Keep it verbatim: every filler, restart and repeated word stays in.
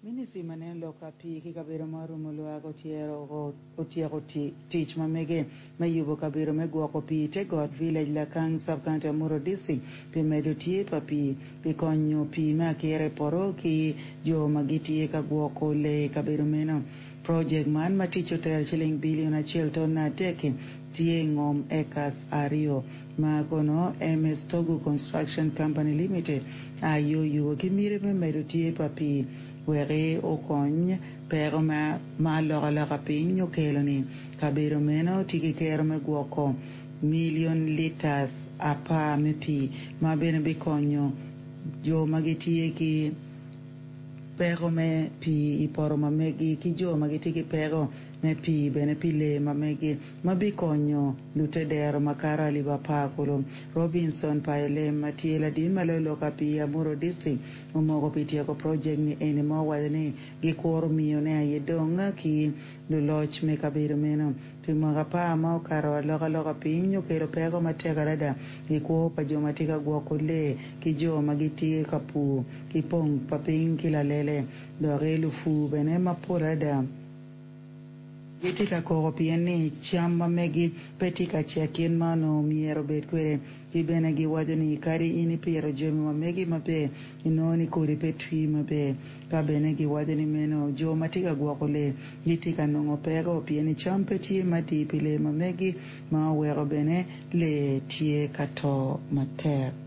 Ministry ma neno lok ka pii ki kabedo ma orumo lwak otyeko tic ma mege me yubo kabedo me gwoko pii i te got village Lakang sub-county Amuru district pi medo tye pa pii pi konyo pii me akira i poto ki jo ma gitye ka gwoko lee i kabedo meno. Projek man ma ticce otero ciling bilion acel tonna adek-ki tye i ngom acres aryo ma kono MS Togu Construction Company Limited aye oyubo ki miti me medo tye pa pii weki okony peko ma alokaloka piny okelo-ni. Kabedo meno tye ki kero me gwoko milion litas apar me pii ma bene bikonyo jo ma gitye ki peko me pii i poto ma megi ki jo ma gitye ki peko me pii bene pi lee ma megi ma bikonyo lutedero makato alip apar kulu. Robinson Payolem ma tye ladit ma loyo lok ka pii i Amuru district omoko pi tyeko projek ni eni ma owaco ni gikuro miyone aye dong ki luloc me kabedo meno. Pi mwaka apar ma okato alokaloka piny okelo peko matek adada i kwo pa jo ma tye ka gwoko lee ki jo ma gitye ka pur ki pong pa piny ki lalele doki lupur bene mapol adada gitye ka koko pien ni cam ma megi pe tye ka cek kit ma onongo myero obed kwede ki bene giwaco ni kadi in ipito jami ma megi maber inongo ni kodi pe twi maber ka bene giwaco ni meno jo ma tye ka gwoko lee gitye ka nongo peko pien ni cam pe tye matir pi lee ma megi ma oweko bene lee tye ka to matek.